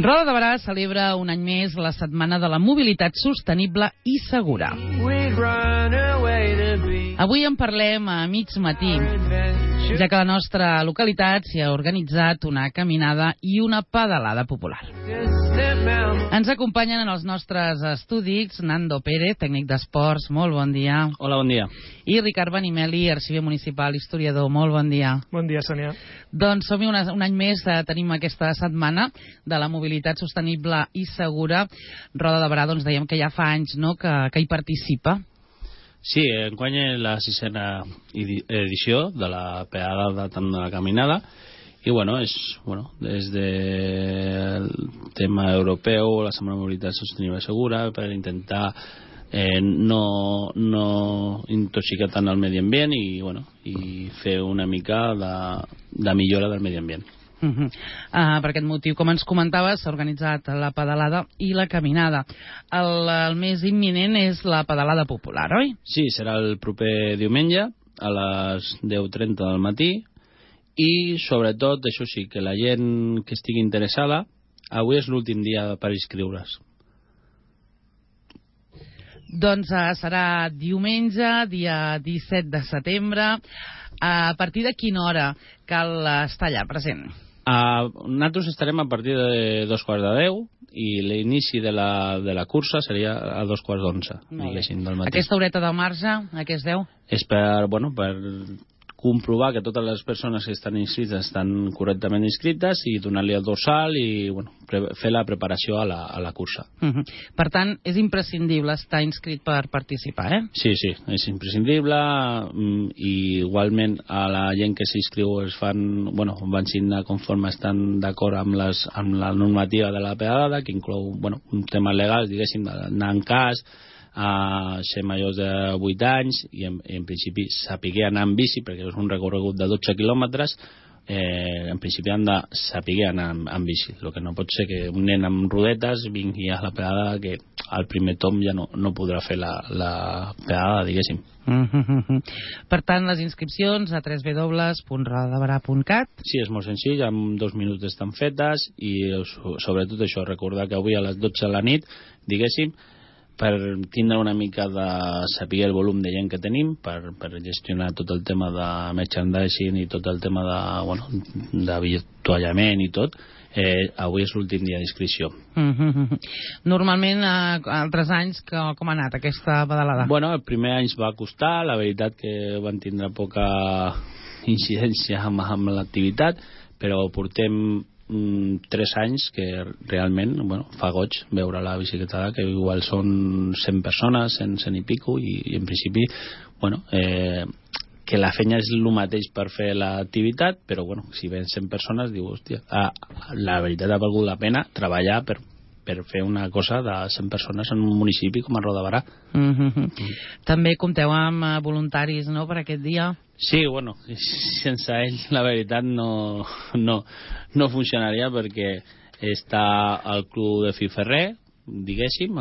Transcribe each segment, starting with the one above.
Roda de Berà celebra un any més la Setmana de la Mobilitat Sostenible i Segura. Avui en parlem a mig matí, ja que a la nostra localitat s'hi ha organitzat una caminada i una pedalada popular. Ens acompanyen en els nostres estudis Nando Pérez, tècnic d'esports, molt bon dia. Hola, bon dia. I Ricard Benimeli, arxiver municipal, historiador, molt bon dia. Bon dia, Sònia. Doncs som-hi un any més, tenim aquesta setmana de la mobilitat sostenible i segura. Roda de Berà, doncs dèiem que ja fa anys, no?, que hi participa. Sí, enguany és la 6a edició de la pedalada de la caminada i des del tema europeu, la Setmana de Mobilitat Sostenible i Segura, per intentar no intoxicar tant el medi ambient i fer una mica de millora del medi ambient. Per aquest motiu, com ens comentaves, s'ha organitzat la pedalada i la caminada. El més imminent és la pedalada popular, oi? Sí, serà el proper diumenge a les 10:30 del matí i sobretot, això sí, que la gent que estigui interessada, avui és l'últim dia per inscriure's. Doncs serà diumenge, dia 17 de setembre. A partir de quina hora cal estar allà present? Nosaltres estarem a partir de 9:45 i l'inici de la cursa seria a 9:45, diguéssim, del matí. Aquesta horeta de marge, a què es deu? És per comprovar que totes les persones que estan inscrites estan correctament inscrites i donar-li el dorsal i fer la preparació a la cursa. Per tant, és imprescindible estar inscrit per participar, eh? Sí, és imprescindible i igualment a la gent que s'inscriu van signar conforme estan d'acord amb la normativa de la pedalada, que inclou un tema legal, diguéssim, d'anar en cas, a ser majors de 8 anys i en principi saber anar en bici, perquè és un recorregut de 12 quilòmetres. En principi han de saber anar en bici. El que no pot ser que un nen amb rodetes vingui a la pedalada, que al primer tom ja no podrà fer la pedalada, diguéssim. Per tant, les inscripcions a www.rodadeberà.cat. Sí, és molt senzill, en 2 minuts estan fetes i sobretot això, recordar que avui a les 12 de la nit, diguéssim, per tindre una mica de saber el volum de gent que tenim, per gestionar tot el tema de merchandising i tot el tema de virtuallament i tot, avui és l'últim dia d'inscripció. Normalment, altres anys, com ha anat aquesta pedalada? El primer any va costar, la veritat que van tindre poca incidència amb l'activitat, però portem 3 anys que realment fa goig veure la bicicletada, que igual són 100 persones, 100 i pico, i en principi que la feina és el mateix per fer l'activitat, però si ven 100 persones diu, hòstia, la veritat ha valgut la pena treballar per fer una cosa de 100 persones en un municipi com a Roda de Berà. També compteu amb voluntaris, no?, per aquest dia? Sí, sense ells la veritat no funcionaria, perquè està el club de Filferrer, diguéssim,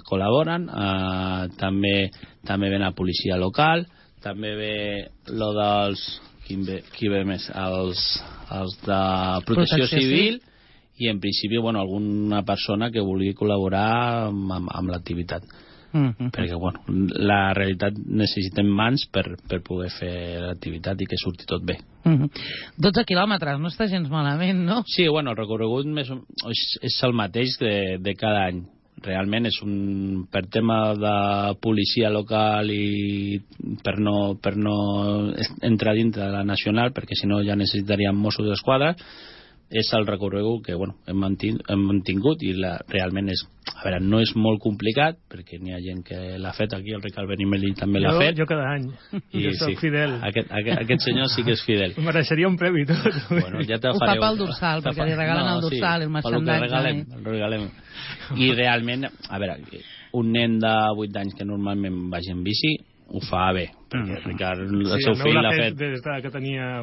col·laboren, també ve la policia local, també ve lo dels qui ve més, els de protecció civil i en principi alguna persona que vulgui col·laborar amb l'activitat. Perquè la realitat necessitem mans per poder fer l'activitat i que surti tot bé. 12 quilòmetres, no està gens malament, no? Sí, el recorregut és el mateix de cada any. Realment és per tema de policia local i per no entrar dintre de la nacional, perquè si no ja necessitaríem Mossos d'Esquadra. És el recorregut que hem mantingut i realment no és molt complicat, perquè n'hi ha gent que l'ha fet aquí, el Ricard Benimeli també l'ha fet. Jo cada any, jo soc fidel. Aquest senyor sí que és fidel. Mereixeria un premi tot. Ja te ho fa pel dorsal, perquè li regalen el dorsal, el merchandising. El regalem. I realment, un nen de 8 anys que normalment vagi en bici ho fa bé, perquè Ricard, el seu fill l'ha fet des que tenia,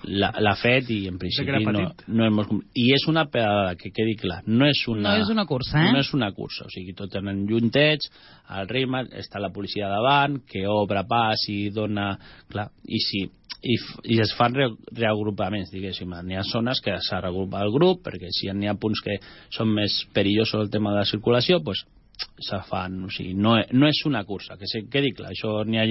l'ha fet i en principi no és molt... I és una pedalada, que quedi clar, no és una cursa, no és una cursa, o sigui, tot tenen juntets, al ritme, està la policia davant, que obre pas i dona... Clar, i si i es fan reagrupaments, diguéssim. N'hi ha zones que s'ha regrupat el grup, perquè si n'hi ha punts que són més perillosos el tema de la circulació, doncs se fan, o sigui, no és una cursa, que quedi clar, això n'hi ha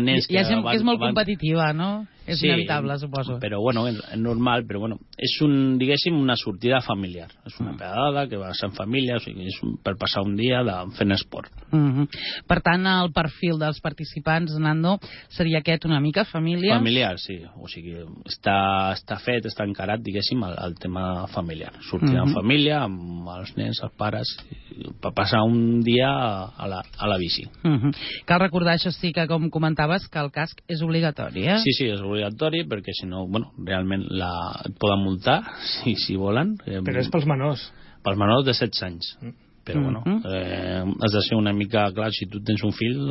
nens que... Ja sembla que és molt competitiva, no? És inevitable, suposo. Però bueno, és normal, però bueno, és diguéssim, una sortida familiar. És una pedalada que va ser en família, o sigui, és per passar un dia fent esport. Per tant, el perfil dels participants, Nando, seria aquest una mica família? Familiar, sí. O sigui, està fet, està encarat, diguéssim, al tema familiar. Sortir en família, amb els nens, els pares, per passar un dia a la bici. Cal recordar, això sí, que com comentaves, que el casc és obligatori, eh? Sí, és obligatori, perquè si no, bueno, realment et poden multar, si volen. Però és pels menors. Pels menors de 16 anys. Però bueno, has de ser una mica clar, si tu tens un fill,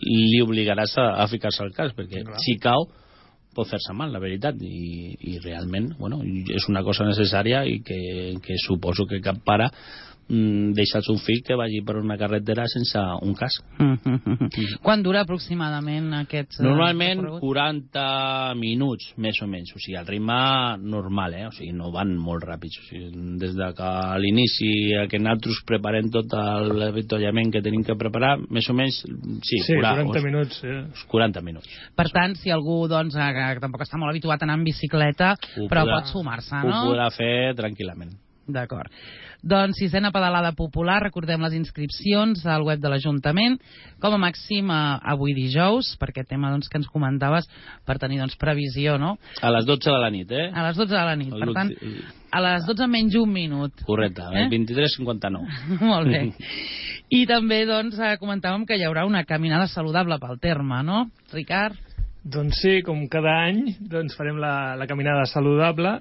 li obligaràs a ficar-se al casc, perquè si cau pot fer-se mal, la veritat, i realment, bueno, és una cosa necessària i que suposo que cap pare deixar el seu fill que vagi per una carretera sense un casc. Quan dura aproximadament aquest normalment 40 minuts, més o menys, o sigui, el ritme normal, o sigui, no van molt ràpids, o sigui, des de que a l'inici que nosaltres preparem tot l'avituallament que tenim que preparar, més o menys, sí 40 minuts. 40 minuts. Per tant, si algú doncs, que tampoc està molt habituat a anar en bicicleta, però pot sumar-se, no? Ho podrà fer tranquil·lament. D'acord. Doncs 6ena pedalada popular, recordem les inscripcions al web de l'Ajuntament, com a màxim avui dijous, per aquest tema doncs, que ens comentaves, per tenir doncs, previsió, no? A les 12 de la nit, eh? A les 12 de la nit, per tant, a les 12 menys un minut. Correcte, el 23:59. Molt bé. I també doncs, comentàvem que hi haurà una caminada saludable pel terme, no, Ricard? Doncs sí, com cada any doncs farem la caminada saludable,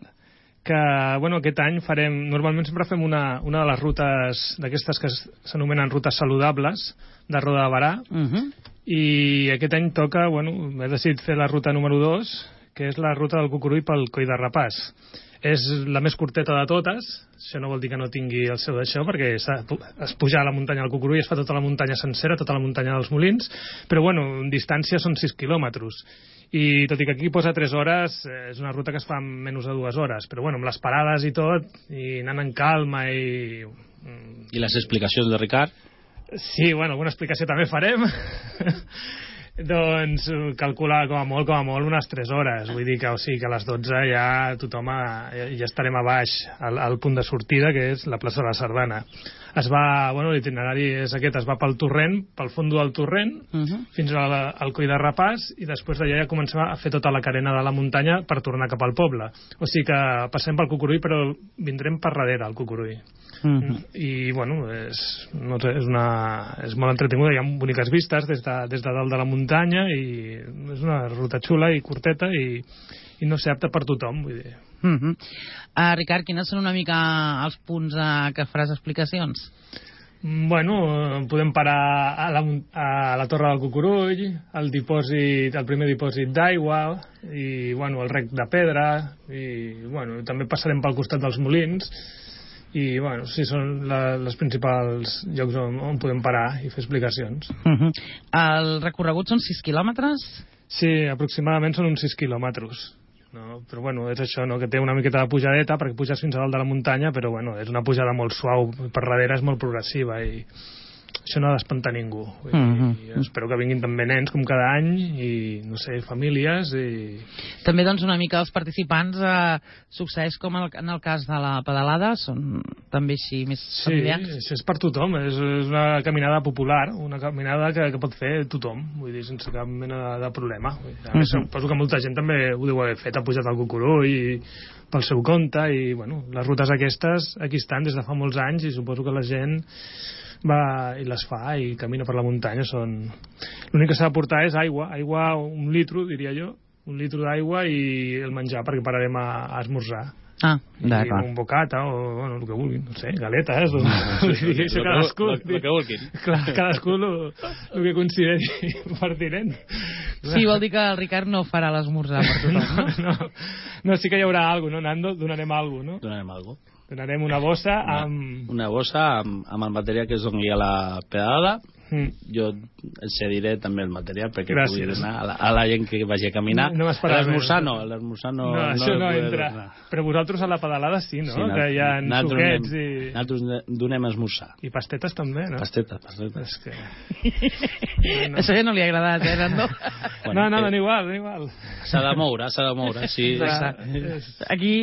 que bueno, aquest any farem, normalment sempre fem una de les rutes d'aquestes que s'anomenen rutes saludables de Roda de Barà, i aquest any toca, bueno, he decidit fer la ruta número 2, que és la ruta del Cucurull pel Coll de Rapàs. És la més curteta de totes, això no vol dir que no tingui el seu d'això, perquè es puja a la muntanya del Cucurull, es fa tota la muntanya sencera, tota la muntanya dels Molins, però bueno, en distància són 6 quilòmetres. I tot i que aquí posa 3 hores, és una ruta que es fa en menys de 2 hores, però bueno, amb les parades i tot, i anant en calma i... I les explicacions de Ricard? Sí, bueno, alguna explicació també farem. Doncs calcular com a molt unes 3 hores, vull dir que, o sigui, que a les 12 ja tothom ja estarem a baix al punt de sortida, que és la plaça de la Sardana. Bueno, l'itinerari és aquest, es va pel torrent, pel fondo del torrent, fins al Coll de Rapàs, i després d'allà ja comencem a fer tota la carena de la muntanya per tornar cap al poble. O sigui que passem pel Cucurull, però vindrem per darrere al Cucurull. I bueno, és molt entretinguda, hi ha boniques vistes des de dalt de la muntanya, i és una ruta xula i curteta i no sé, apta per tothom, vull dir. Ricard, quines són una mica els punts que faràs explicacions? Bueno, podem parar a la Torre del Cucurull, el primer dipòsit d'aigua, i bueno, el rec de pedra, i bueno, també passarem pel costat dels molins, i bueno, sí, són els principals llocs on podem parar i fer explicacions. El recorregut són 6 quilòmetres? Sí, aproximadament són uns 6 quilòmetres. No, però bueno, és això, no? Que té una miqueta de pujadeta perquè puges fins a dalt de la muntanya, però bueno, és una pujada molt suau, per darrere és molt progressiva i això no ha d'espantar ningú. I espero que vinguin també nens com cada any i, no sé, famílies i... També doncs una mica els participants succeeix com en el cas de la pedalada, són també així més familiars? Sí, és per tothom, és una caminada popular, una caminada que pot fer tothom, vull dir, sense cap mena de problema. A més, suposo que molta gent també ho deu haver fet, ha pujat al Cucurull i pel seu compte, i bueno, les rutes aquestes aquí estan des de fa molts anys i suposo que la gent va i les fa i camina per la muntanya. L'únic que s'ha de portar és aigua, 1 litre, diria jo, 1 litre d'aigua i el menjar, perquè pararem a esmorzar. D'acord. Un bocata o bueno, el que vulguin, no sé, galetes o... el que vulguin. Clar, cadascú el que consideri pertinent. Sí, vol dir que el Ricard no farà l'esmorzar per tothom, no? Sí que hi haurà alguna cosa, no, Nando? Donarem alguna cosa, no? Donarem alguna cosa. Donarem una bossa amb... Una bossa amb el material que es doni a la pedalada, jo els cediré també el material perquè pugui donar a la gent que vagi a caminar. L'esmorzar no. Això no entra. Però vosaltres a la pedalada sí, no? Que hi ha suquets i... Nosaltres donem esmorzar. I pastetes també, no? Pastetes. És que... Això ja no li ha agradat, Nando? No, igual. S'ha de moure, sí. Aquí...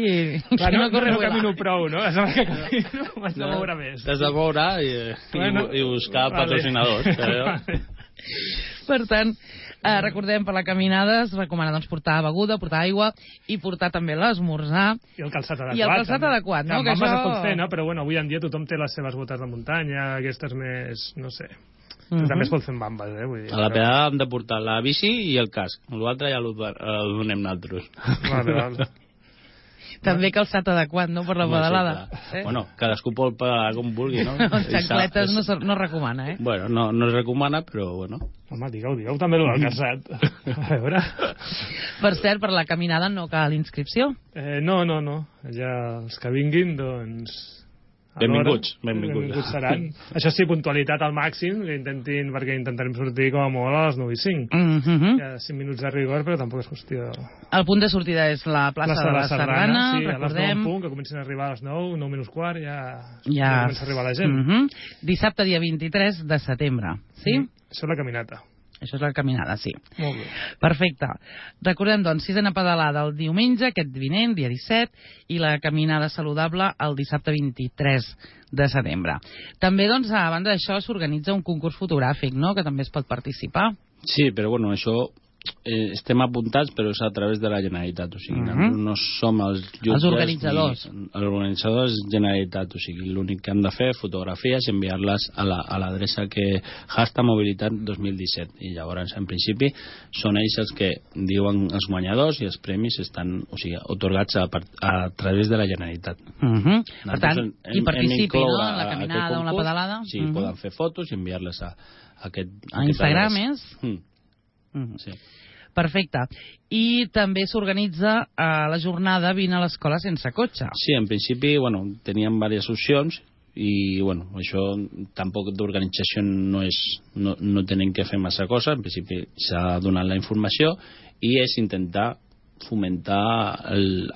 No camino prou, no? M'haig de moure més. T'has de moure i buscar patrocinadors. Per tant, recordem, per la caminada es recomana portar beguda, portar aigua i portar també l'esmorzar. I el calçat adequat. I el calçat adequat, no? Que això es pot fer, no? Però bueno, avui en dia tothom té les seves botes de muntanya, aquestes més, no sé... També es pot fer amb bambes, Vull dir, a la pedada hem de portar la bici i el casc. L'altre ja el donem nosaltres. Vale. També calçat adequat, no?, per la pedalada. Bueno, cadascú pot pedalar com vulgui, no? Xancletes no es recomana, Bueno, no es recomana, però bueno. Home, digueu també el calçat. A veure... Per cert, per la caminada no cal inscripció? No. Ja els que vinguin, doncs... Benvinguts seran. Això sí, puntualitat al màxim, perquè intentarem sortir com a molt a les 9:05. Hi ha 5 minuts de rigor, però tampoc és qüestió... El punt de sortida és la plaça de la Sardana, sí, recordem. A les 9 en punt, que comencin a arribar a les 9, 9 menys quart, ja comença a arribar la gent. Dissabte, dia 23 de setembre, sí? Això és la caminata. Això és la caminada, sí. Molt bé. Perfecte. Recordem, doncs, sisena pedalada el diumenge, aquest vinent, dia 17, i la caminada saludable el dissabte 23 de setembre. També, doncs, a banda d'això, s'organitza un concurs fotogràfic, no?, que també es pot participar. Sí, però, bueno, això... estem apuntats, però és a través de la Generalitat, o sigui, no som els jutges... Els organitzadors. Els organitzadors Generalitat, o sigui, l'únic que han de fer fotografies i enviar-les a l'adreça que #mobilitat 2017, i llavors, en principi, són ells els que diuen els guanyadors i els premis estan, o sigui, otorgats a través de la Generalitat. Per tant, qui participi, no?, en la caminada o en la pedalada. Sí, poden fer fotos i enviar-les a aquest... A Instagram, Sí. Perfecte. I també s'organitza la jornada Vine a l'escola sense cotxe. Sí, en principi, bueno, teníem diverses opcions i, bueno, això tampoc d'organització no tenen que fer massa cosa. En principi s'ha donat la informació i és intentar fomentar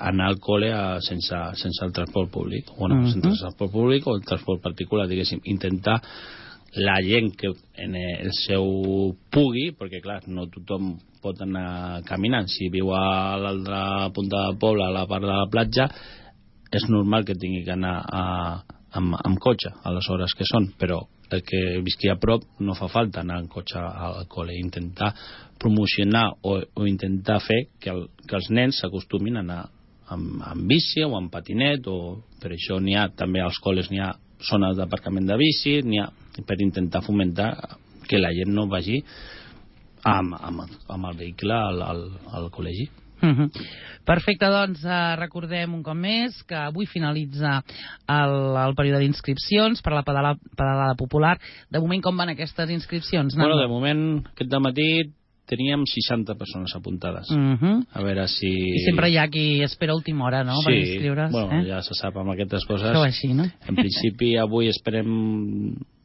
anar al col·le sense el transport públic. Bueno, sense el transport públic o el transport particular, diguéssim. Intentar la gent que en el seu pugui, perquè clar, no tothom pot anar caminant. Si viu a l'altra punta del poble, a la part de la platja, és normal que tingui que anar amb cotxe a les hores que són, però el que visqui a prop no fa falta anar en cotxe al col·le. Intentar promocionar o intentar fer que els nens s'acostumin a anar amb bici o amb patinet, o per això n'hi ha també als col·les, n'hi ha zones d'aparcament de bici, n'hi ha per intentar fomentar que la gent no vagi amb el vehicle al col·legi. Perfecte, doncs recordem un cop més que avui finalitza el període d'inscripcions per a la pedalada popular. De moment, com van aquestes inscripcions? Bueno, de moment, aquest dematí teníem 60 persones apuntades. A veure si... I sempre hi ha qui espera a última hora, no?, per inscriure's. Bueno, ja se sap amb aquestes coses. Però així, no? En principi, avui esperem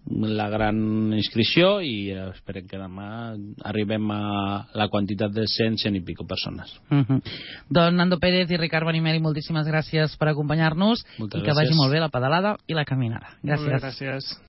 la gran inscripció i esperem que demà arribem a la quantitat de 100 i pico persones. Doncs Nando Pérez i Ricard Benimeli, moltíssimes gràcies per acompanyar-nos i que vagi molt bé la pedalada i la caminada. Gràcies. Gràcies.